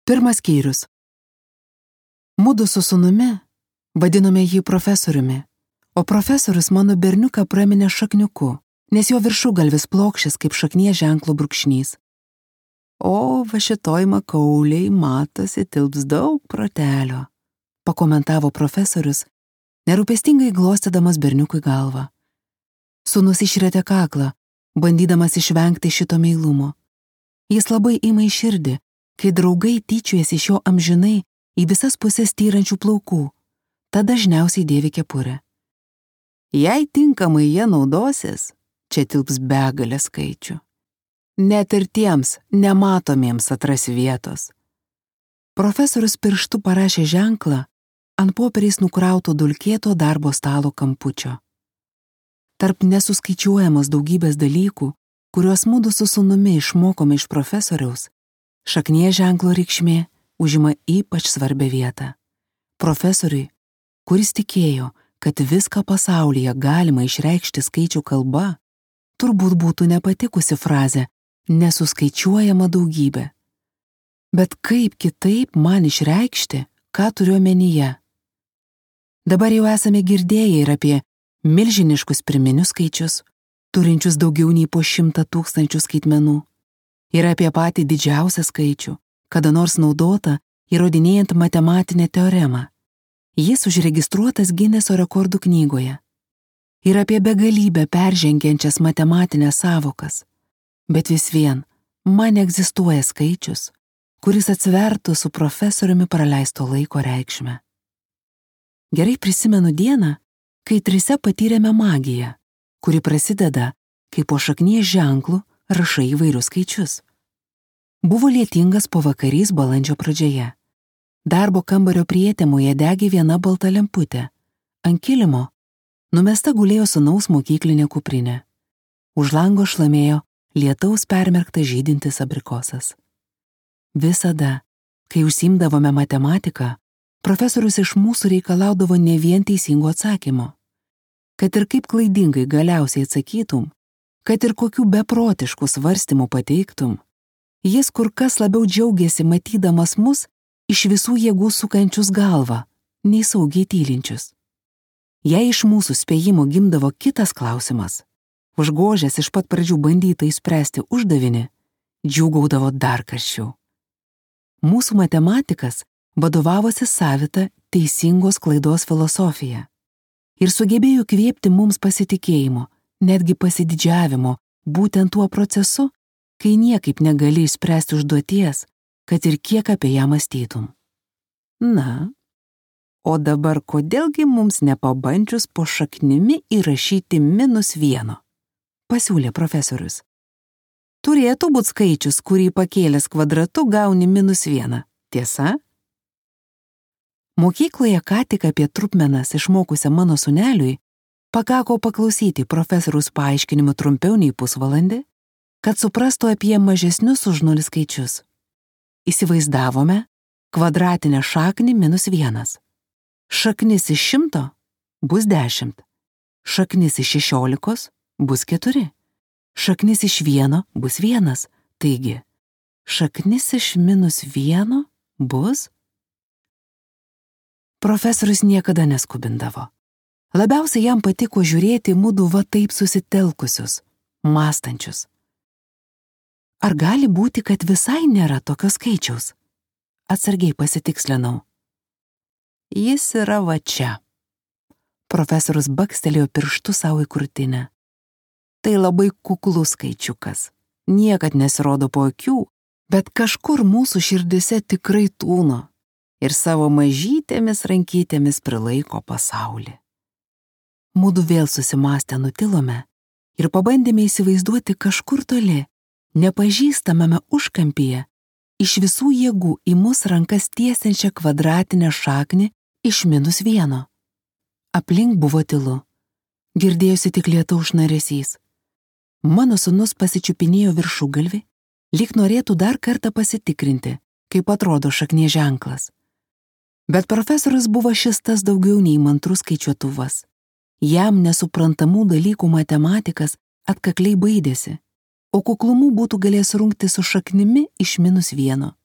Pirmas skyrius. Mudu su sūnumi vadinome jį profesoriumi, o profesorius mano berniuką praminė šakniuku, nes jo viršugalvis plokščias kaip šaknies ženklo brūkšnys. O va šitoj makauliai matosi tilps daug protelio, pakomentavo profesorius, nerūpestingai glostydamas berniukui galvą. Sūnus išrėtė kaklą, bandydamas išvengti šito meilumo. Jis labai ima į širdį, kai draugai tyčiojasi iš jo amžinai į visas pusės tyrančių plaukų, tada dažniausiai dėvi kepurę. Jei tinkamai jie naudosis, čia tilps begalė skaičių. Net ir tiems nematomiems atras vietos. Profesorius pirštu parašė ženklą ant popieriais nukrauto dulkėto darbo stalo kampučio. Tarp nesuskaičiuojamos daugybės dalykų, kuriuos mudu su sūnumi išmokome iš profesoriaus, šaknies ženklo reikšmė užima ypač svarbią vietą. Profesoriui, kuris tikėjo, kad viską pasaulyje galima išreikšti skaičių kalba, turbūt būtų nepatikusi frazė nesuskaičiuojama daugybė. Bet kaip kitaip man išreikšti, ką turiu omenyje? Dabar jau esame girdėję ir apie milžiniškus pirminius skaičius, turinčius daugiau nei po 100 000 skaitmenų, ir apie patį didžiausią skaičių, kada nors naudota įrodinėjant matematinę teoremą. Jis užregistruotas Gineso rekordų knygoje. Ir apie begalybę peržengiančias matematinės sąvokas. Bet vis vien, man egzistuoja skaičius, kuris atsvertų su profesoriumi praleisto laiko reikšmę. Gerai prisimenu dieną, kai trise patyrėme magiją, kuri prasideda, kai po šaknies ženklų rašai įvairius skaičius. Buvo lietingas pavakarys balandžio pradžioje. Darbo kambario prietemoje degė viena balta lemputė. Ant kilimo numesta gulėjo sūnaus mokyklinė kuprinė. Už lango šlamėjo lietaus permerktas žydintis abrikosas. Visada, kai užsiimdavome matematiką, profesorius iš mūsų reikalaudavo ne vien teisingo atsakymo. Kad ir kaip klaidingai galiausiai atsakytum, kad ir kokių beprotiškų svarstymų pateiktum, jis kur kas labiau džiaugiasi matydamas mus iš visų jėgų sukančius galvą, nei saugiai tylinčius. Jei iš mūsų spėjimo gimdavo kitas klausimas, užgožęs iš pat pradžių bandytą išspręsti uždavinį, džiūgaudavo dar karščiau. Mūsų matematikas vadovavosi savita teisingos klaidos filosofija ir sugebėjo kvėpti mums pasitikėjimo, netgi pasididžiavimo, būtent tuo procesu, kai niekaip negali išspręsti užduoties, kad ir kiek apie ją mąstytum. Na, o dabar kodėlgi mums nepabandžius po šaknimi įrašyti -1, pasiūlė profesorius. Turėtų būti skaičius, kurį pakėlęs kvadratu gauni -1, tiesa? Mokykloje ką tik apie trupmenas išmokusią mano sūneliui pakako paklausyti profesoriaus paaiškinimų trumpiau nei pusvalandį, kad suprastų apie mažesnius už 0 skaičius. Įsivaizdavome kvadratinę šaknį -1. Šaknis iš 100 bus 10. Šaknis iš 16 bus 4. Šaknis iš 1 bus 1. Taigi, šaknis iš -1 bus... Profesorius niekada neskubindavo. Labiausiai jam patiko žiūrėti mudu va taip susitelkusius, mąstančius. Ar gali būti, kad visai nėra tokio skaičiaus? Atsargiai pasitikslinau. Jis yra va čia. Profesorius bakstelėjo pirštu savo į krūtinę. Tai labai kuklus skaičiukas. Niekad nesirodo po akių, bet kažkur mūsų širdise tikrai tūno ir savo mažytėmis rankytėmis prilaiko pasaulį. Mudu vėl susimąstę nutilome ir pabandėme įsivaizduoti kažkur toli, nepažįstamame užkampyje, iš visų jėgų į mus rankas tiesiančią kvadratinę šaknį iš -1. Aplink buvo tylu. Girdėjosi tik lietaus šnaresys. Mano sūnus pasičiupinėjo viršugalvį, lyg norėtų dar kartą pasitikrinti, kaip atrodo šaknies ženklas. Bet profesorius buvo šis tas daugiau nei mantrus skaičiuotuvas. Jam nesuprantamų dalykų matematikas atkakliai baidėsi, o kuklumu būtų galėjęs rungti su šaknimi iš -1.